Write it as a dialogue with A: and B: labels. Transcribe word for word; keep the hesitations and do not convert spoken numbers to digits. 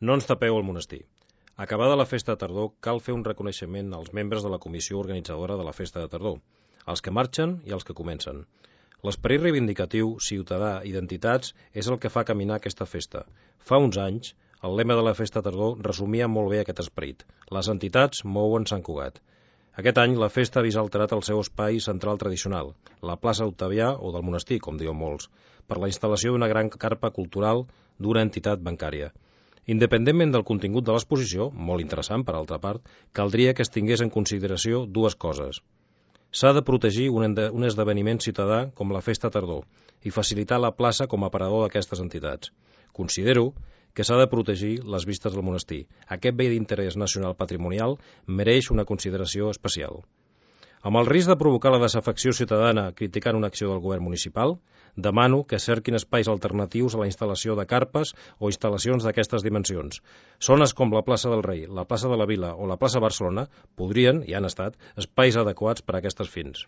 A: No ens tapeu el monestir. Acabada la festa de tardor, cal fer un reconeixement als membres de la comissió organitzadora de la festa de tardor, els que marxen i els que comencen. L'esperit reivindicatiu, ciutadà, identitats, és el que fa caminar aquesta festa. Fa uns anys, el lema de la festa de tardor resumia molt bé aquest esperit. Les entitats mouen Sant Cugat. Aquest any la festa ha vist alterat el seu espai central tradicional, la plaça Octavià o del monestir, com diuen molts, per la instal·lació d'una gran carpa cultural d'una entitat bancària. Independentment del contingut de l'exposició, molt interessant per altra part, caldria que es tingués en consideració dues coses. S'ha de protegir un, un esdeveniment ciutadà com la festa tardor i facilitar la plaça com a aparador d'aquestes entitats. Considero que s'ha de protegir les vistes del monestir. Aquest bé d'interès nacional patrimonial mereix una consideració especial. Amb el risc de provocar la desafecció ciutadana criticant una acció del govern municipal, demano que cerquin espais alternatius a la instal·lació de carpes o instal·lacions d'aquestes dimensions. Zones com la plaça del Rei, la plaça de la Vila o la plaça Barcelona podrien, i han estat, espais adequats per a aquestes fins.